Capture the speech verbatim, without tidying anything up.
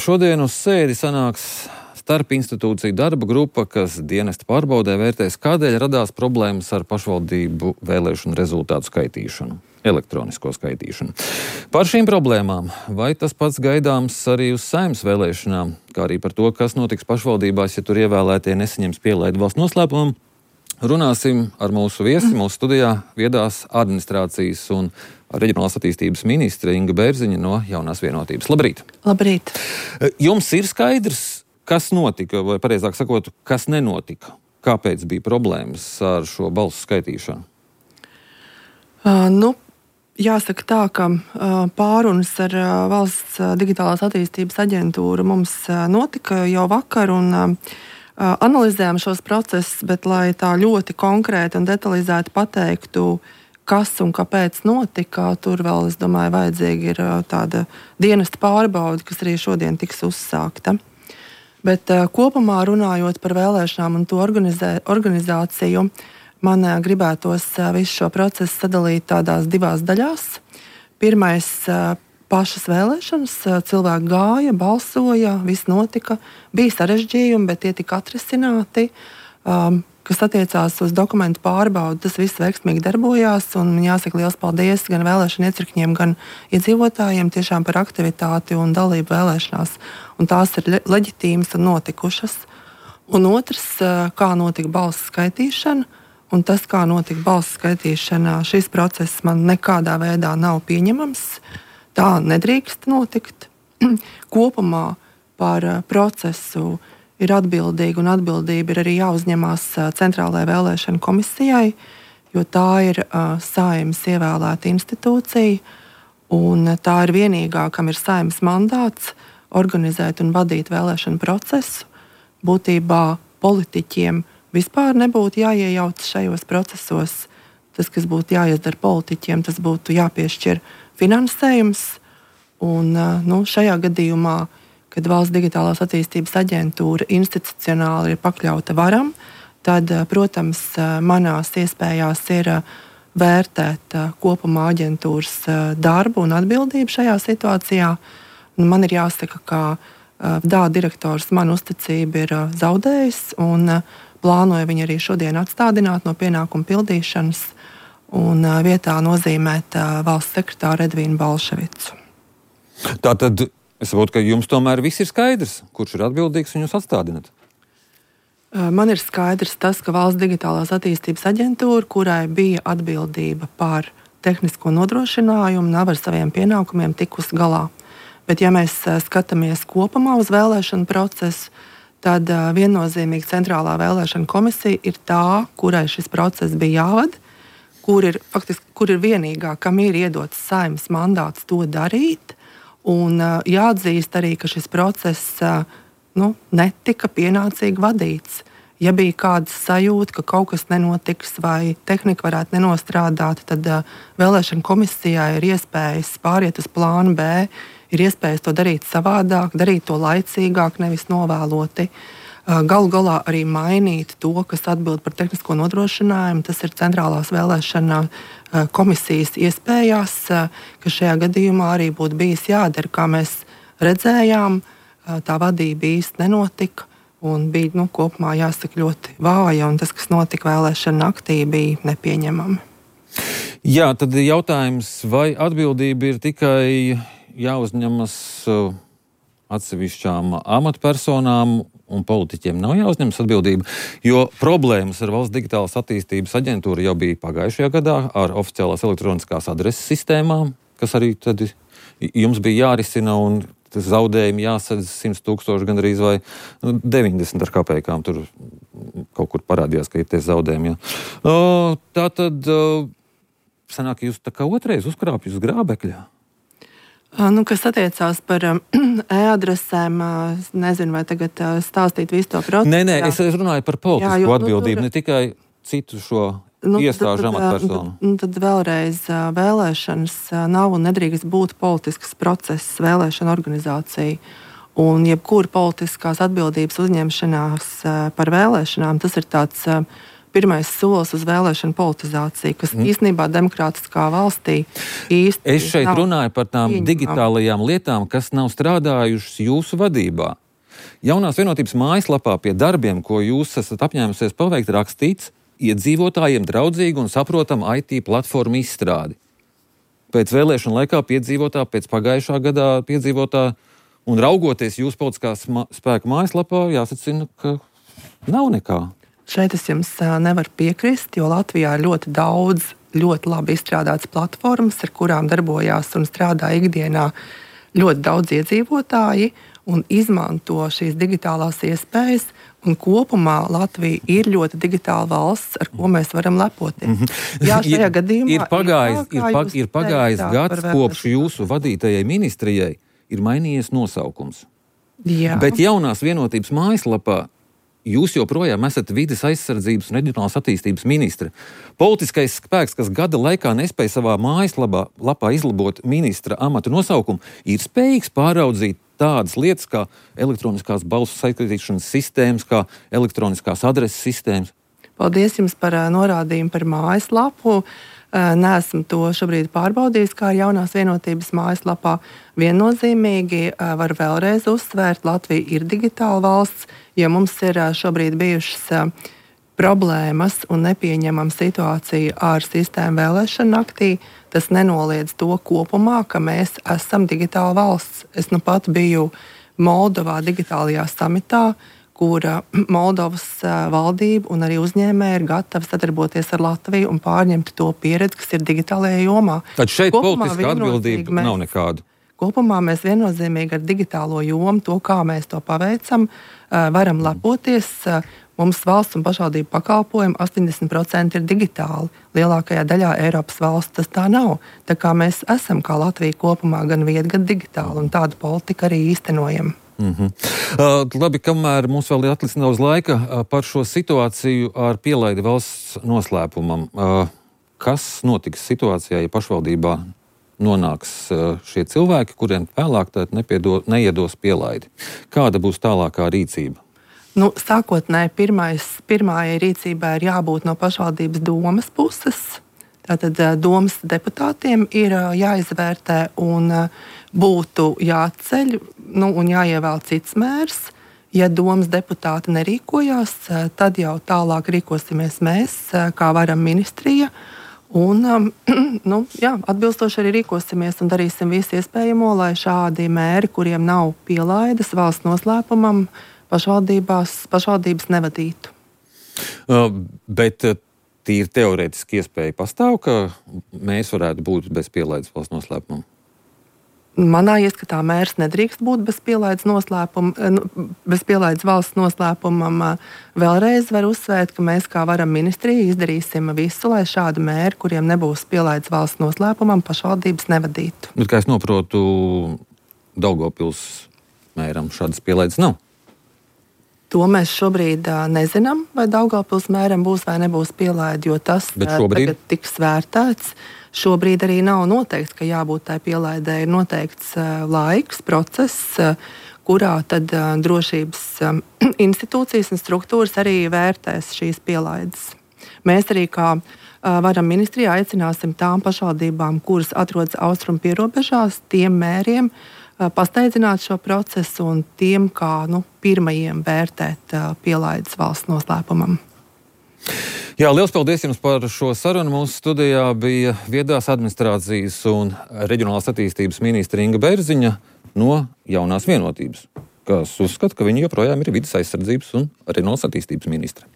Šodien uz sēdi sanāks starp institūciju darba grupa, kas dienesta pārbaudē vērtēs, kādēļ radās problēmas ar pašvaldību vēlēšanu rezultātu skaitīšanu, elektronisko skaitīšanu. Par šīm problēmām, vai tas pats gaidāms arī uz Saeimas vēlēšanām, kā arī par to, kas notiks pašvaldībās, ja tur ievēlētie nesaņems pielaidu valsts noslēpumam, runāsim ar mūsu viesi, mūsu studijā viedās administrācijas un reģionālās attīstības ministre Inga Bērziņa no Jaunās vienotības. Labrīt! Labrīt! Jums ir skaidrs, kas notika, vai pareizāk sakot, kas nenotika? Kāpēc bija problēmas ar šo balsu skaitīšanu? Uh, nu, jāsaka tā, ka uh, pārunas ar uh, Valsts digitālās attīstības aģentūru mums uh, notika jau vakar un uh, analizējām šos procesus, bet lai tā ļoti konkrēti un detalizēti pateiktu, kas un kāpēc notika, tur vēl, es domāju, vajadzīga ir tāda dienesta pārbaude, kas arī šodien tiks uzsākta. Bet kopumā runājot par vēlēšanām un to organizē, organizāciju, man gribētos visu šo procesu sadalīt tādās divās daļās. Pirmais pašas vēlēšanas, cilvēki gāja, balsoja, viss notika, bija sarežģījumi, bet tie tika atrisināti. Um, kas attiecās uz dokumentu pārbaudi, tas viss veiksmīgi darbojās, un jāsaka liels paldies gan vēlēšanu iecirkņiem, gan iedzīvotājiem tiešām par aktivitāti un dalību vēlēšanās, un tās ir leģitīmas un notikušas. Un otrs, kā notika balsu skaitīšana, un tas, kā notika balsu skaitīšana, šis process man nekādā veidā nav pieņemams. Tā nedrīkst notikt. Kopumā par procesu ir atbildīga, un atbildība ir arī jāuzņemās Centrālajai vēlēšanu komisijai, jo tā ir uh, Saeimas ievēlēta institūcija, un tā ir vienīgā, kam ir Saeimas mandāts organizēt un vadīt vēlēšanu procesu. Būtībā politiķiem vispār nebūtu jāiejaucas šajos procesos. Tas, kas būtu jāizdara politiķiem, tas būtu jāpiešķir finansējums, un uh, nu, šajā gadījumā, kad Valsts digitālās attīstības aģentūra institucionāli ir pakļauta varam, tad, protams, manās iespējās ir vērtēt kopumā aģentūras darbu un atbildību šajā situācijā. Man ir jāsaka, ka D A direktors man uzticību ir zaudējis un plānoja viņu arī šodien atstādināt no pienākumu pildīšanas un vietā nozīmēt valsts sekretāru Edvīnu Balševicu. Tātad es saprotu, ka jums tomēr viss ir skaidrs, kurš ir atbildīgs un jūs atstādināt. Man ir skaidrs tas, ka Valsts digitālās attīstības aģentūra, kurai bija atbildība par tehnisko nodrošinājumu, nav ar saviem pienākumiem tikus galā. Bet ja mēs skatāmies kopumā uz vēlēšanu procesu, tad viennozīmīgi Centrālā vēlēšana komisija ir tā, kurai šis process bija jāvada, kur ir, faktiski, kur ir vienīgā, kam ir iedots Saeimas mandāts to darīt. Un uh, jāatzīst arī, ka šis process uh, nu, netika pienācīgi vadīts. Ja bija kāda sajūta, ka kaut kas nenotiks vai tehnika varētu nenostrādāt, tad uh, vēlēšana komisijai ir iespējas pāriet uz plānu B, ir iespējas to darīt savādāk, darīt to laicīgāk, nevis novēloti. Uh, galu galā arī mainīt to, kas atbild par tehnisko nodrošinājumu. Tas ir Centrālās vēlēšana komisijas iespējās, ka šajā gadījumā arī būtu bijis jādara, kā mēs redzējām, tā vadība īsti nenotika un bija nu, kopumā jāsaka ļoti vāja, un tas, kas notika vēlēšana naktī, bija nepieņemami. Jā, tad jautājums, vai atbildība ir tikai jāuzņemas atsevišķām amatpersonām un politiķiem nav jāuzņemas atbildība, jo problēmas ar Valsts digitālās attīstības aģentūru jau bija pagājušajā gadā ar oficiālās elektroniskās adreses sistēmām, kas arī tad jums bija jārisina un zaudējumi jāsadz simts tūkstoši gandrīz vai nu, deviņdesmit ar kapekām. Tur kaut kur parādījās, ka ir tie zaudējumi. Jā. Tā tad sanāk, jūs tā kā otrais uzkrāpjat uz grābekļā. Nu, kas attiecās par um, e-adresēm, es nezinu, vai tagad uh, stāstīt visu to procesu. Nē, nē, es runāju par politisku jā, jo, atbildību, nu, tur, ne tikai citu šo nu, iestāžu amatpersonu. Nu, tad vēlreiz uh, vēlēšanas uh, nav un nedrīkst būt politisks process vēlēšana organizācija. Un jebkura politiskās atbildības uzņemšanās uh, par vēlēšanām, tas ir tāds uh, pirmais solis uz vēlēšanu politizāciju, kas mm. īstenībā demokrātiskā valstī īsti Es šeit runāju par tām pieņemam. digitālajām lietām, kas nav strādājušas jūsu vadībā. Jaunās vienotības mājaslapā pie darbiem, ko jūs esat apņēmusies paveikt, rakstīts iedzīvotājiem draudzīgu un saprotamu I T platformu izstrādi. Pēc vēlēšanu laikā piedzīvotā, pēc pagājušā gadā piedzīvotā un raugoties jūsu politiskās ma- spēka mājaslapā, jāsacina, ka nav nekā. Šeit es jums nevaru piekrist, jo Latvijā ir ļoti daudz ļoti labi izstrādātas platformas, ar kurām darbojās un strādā ikdienā ļoti daudz iedzīvotāji un izmanto šīs digitālās iespējas. Un kopumā Latvija ir ļoti digitāla valsts, ar ko mēs varam lepoties. Mm-hmm. Jā, šajā ir, gadījumā ir pagājis, ir, ir, pag, ir pagājis gads, kopš jūsu vadītajai ministrijai ir mainījies nosaukums. Jā. Bet jaunās vienotības mājaslapā jūs joprojām esat vides aizsardzības un reģionālās attīstības ministre. Politiskais spēks, kas gada laikā nespēja savā mājaslapā lapā izlabot ministra amatu nosaukumu, ir spējīgs pāraudzīt tādas lietas kā elektroniskās balsu saistīšanas sistēmas, kā elektroniskās adreses sistēmas. Paldies jums par uh, norādījumu par mājaslapu. Uh, Neesmu to šobrīd pārbaudījis, kā ar jaunās vienotības mājaslapā. Viennozīmīgi uh, var vēlreiz uzsvērt, Latvija ir digitāla valsts, jo mums ir uh, šobrīd bijušas uh, problēmas un nepieņemama situācija ar sistēmu vēlēšanu naktī. Tas nenoliedz to kopumā, ka mēs esam digitāla valsts. Es nu pat biju Moldovā digitālajā samitā, kur Moldovas valdība un arī uzņēmēji ir gatavi sadarboties ar Latviju un pārņemt to pieredzi, kas ir digitālajā jomā. Tad šeit Kopumā politiska atbildība mēs, nav nekāda. Kopumā mēs viennozīmīgi ar digitālo jomu, to, kā mēs to paveicam, varam lepoties. Mums valsts un pašvaldību pakalpojumi astoņdesmit procenti ir digitāli. Lielākajā daļā Eiropas valsts tas tā nav. Tā kā mēs esam, kā Latvija kopumā, gan viedi, gan digitāli, un tādu politiku arī īstenojam. Mm-hmm. Uh, labi, kamēr mums vēl ir atlicis nedaudz laika uh, par šo situāciju ar pielaidi valsts noslēpumam. Uh, kas notiks situācijā, ja pašvaldībā nonāks uh, šie cilvēki, kuriem vēlāk nepiedo, neiedos pielaidi? Kāda būs tālākā rīcība? Nu, sākotnēji pirmais, pirmājai rīcībai ir jābūt no pašvaldības domas puses. Tātad domas deputātiem ir jāizvērtē un būtu jāceļ nu, un jāievēl cits mērs. Ja domas deputāti nerīkojās, tad jau tālāk rīkosimies mēs, kā varam ministrija. Un, nu, jā, atbilstoši arī rīkosimies un darīsim visu iespējamo, lai šādi mēri, kuriem nav pielaides valsts noslēpumam, pašvaldībās, pašvaldības nevadītu. Uh, bet uh, tīri teorētiski iespēja pastāv, ka mēs varētu būt bez pielaides valsts noslēpumam? Manā ieskatā mērs nedrīkst būt bez pielaides, bez pielaides valsts noslēpumam. Vēlreiz var uzsvērt, ka mēs kā varam ministrija izdarīsim visu, lai šādi mēri, kuriem nebūs pielaides valsts noslēpumam, pašvaldības nevadītu. Bet, kā es noprotu, Daugavpils mēram šādas pielaides nav? To mēs šobrīd uh, nezinām, vai Daugavpils mēram būs vai nebūs pielaide, jo tas uh, tagad tiks vērtēts. Šobrīd arī nav noteikts, ka jābūt tai pielaidē. Ir noteikts uh, laiks, process, uh, kurā tad uh, drošības um, institūcijas un struktūras arī vērtēs šīs pielaides. Mēs arī kā uh, varam ministrijā aicināsim tām pašvaldībām, kuras atrodas austrumu pierobežās, tiem mēriem, pasteidzināt šo procesu un tiem kā nu, pirmajiem vērtēt uh, pielaides valsts noslēpumam. Jā, liels paldies jums par šo sarunu. Mūsu studijā bija viedās administrācijas un reģionālās attīstības ministre Inga Bērziņa no Jaunās vienotības, kas uzskata, ka viņa joprojām ir vides aizsardzības un reģionālās attīstības ministre.